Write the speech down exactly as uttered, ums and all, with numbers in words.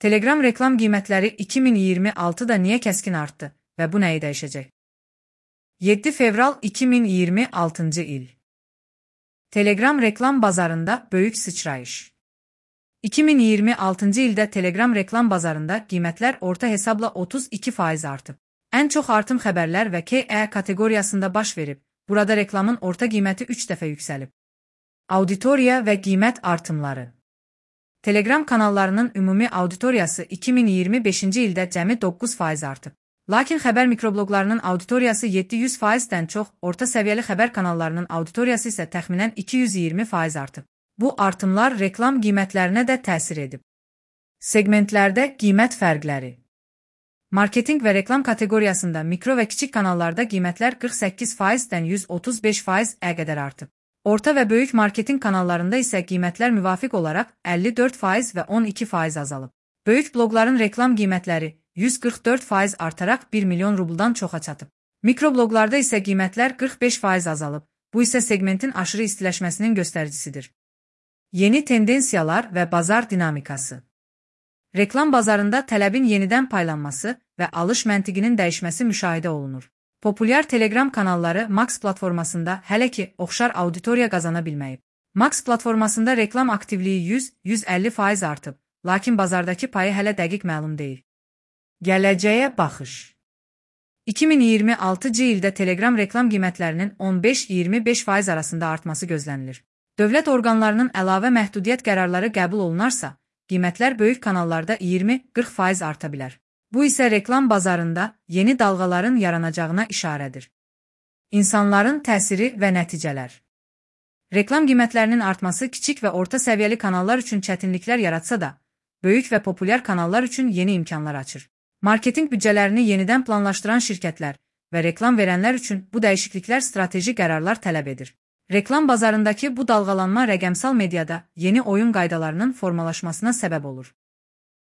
Telegram reklam qiymətləri iki min iyirmi altıda niyə kəskin artdı və bu nəyi dəyişəcək? yeddi fevral iki min iyirmi altıncı il. Telegram reklam bazarında böyük sıçrayış. iki min iyirmi altıncı ildə Telegram reklam bazarında qiymətlər orta hesabla otuz iki faiz artıb. Ən çox artım xəbərlər və K E kateqoriyasında baş verib. Burada reklamın orta qiyməti üç dəfə yüksəlib. Auditoriya və qiymət artımları. Telegram kanallarının ümumi auditoriyası iki min iyirmi beşinci ildə cəmi doqquz faiz artıb. Lakin xəbər mikrobloqlarının auditoriyası yeddi yüz faizdən çox, orta səviyyəli xəbər kanallarının auditoriyası isə təxminən iki yüz iyirmi faiz artıb. Bu artımlar reklam qiymətlərinə də təsir edib. Segmentlərdə qiymət fərqləri. Marketinq və reklam kateqoriyasında mikro və kiçik kanallarda qiymətlər qırx səkkiz faizdən yüz otuz beş faiz-ə qədər artıb. Orta və böyük marketinq kanallarında isə qiymətlər müvafiq olaraq əlli dörd faiz və on iki faiz azalıb. Böyük bloqların reklam qiymətləri yüz qırx dörd faiz artaraq bir milyon rubldan çoxa çatıb. Mikrobloqlarda isə qiymətlər qırx beş faiz azalıb. Bu isə segmentin aşırı istiləşməsinin göstəricisidir. Yeni tendensiyalar və bazar dinamikası. Reklam bazarında tələbin yenidən paylanması və alış məntiqinin dəyişməsi müşahidə olunur. Populyar Telegram kanalları Max platformasında hələ ki oxşar auditoriya qazana bilməyib. Max platformasında reklam aktivliyi yüz yüz əlli faiz artıb, lakin bazardakı payı hələ dəqiq məlum deyil. Gələcəyə baxış. iki min iyirmi altıncı ildə Telegram reklam qiymətlərinin on beş iyirmi beş faiz arasında artması gözlənilir. Dövlət orqanlarının əlavə məhdudiyyət qərarları qəbul olunarsa, qiymətlər böyük kanallarda iyirmi qırx faiz arta bilər. Bu isə reklam bazarında yeni dalğaların yaranacağına işarədir. İnsanların təsiri və nəticələr. Reklam qiymətlərinin artması kiçik və orta səviyyəli kanallar üçün çətinliklər yaratsa da, böyük və populyar kanallar üçün yeni imkanlar açır. Marketinq büdcələrini yenidən planlaşdıran şirkətlər və reklam verənlər üçün bu dəyişikliklər strateji qərarlar tələb edir. Reklam bazarındakı bu dalğalanma rəqəmsal mediada yeni oyun qaydalarının formalaşmasına səbəb olur.